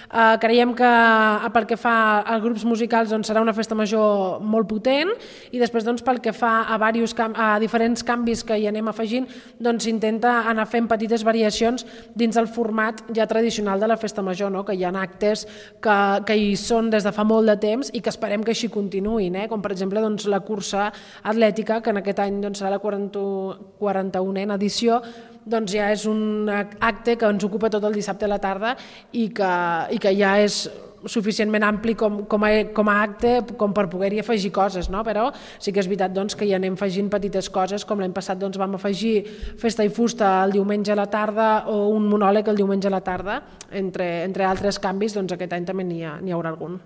Creiem que pel que fa a grups musicals doncs, serà una festa major molt potent i després doncs, pel que fa a diferents canvis que hi anem afegint doncs s'intenta anar fent petites variacions dins el format ja tradicional de la festa major, no? Que hi ha actes que hi són des de fa molt de temps i que esperem que així continuïn, com per exemple doncs, la cursa atlètica que en aquest any doncs, serà la 41a edició, doncs ja és un acte que ens ocupa tot el dissabte a la tarda i que ja és suficientment ampli com a acte com per poder-hi afegir coses, no? Però sí que és veritat doncs, que hi anem afegint petites coses, com l'any passat doncs, vam afegir festa i fusta el diumenge a la tarda o un monòleg el diumenge a la tarda, entre altres canvis, doncs aquest any també n'hi haurà algun.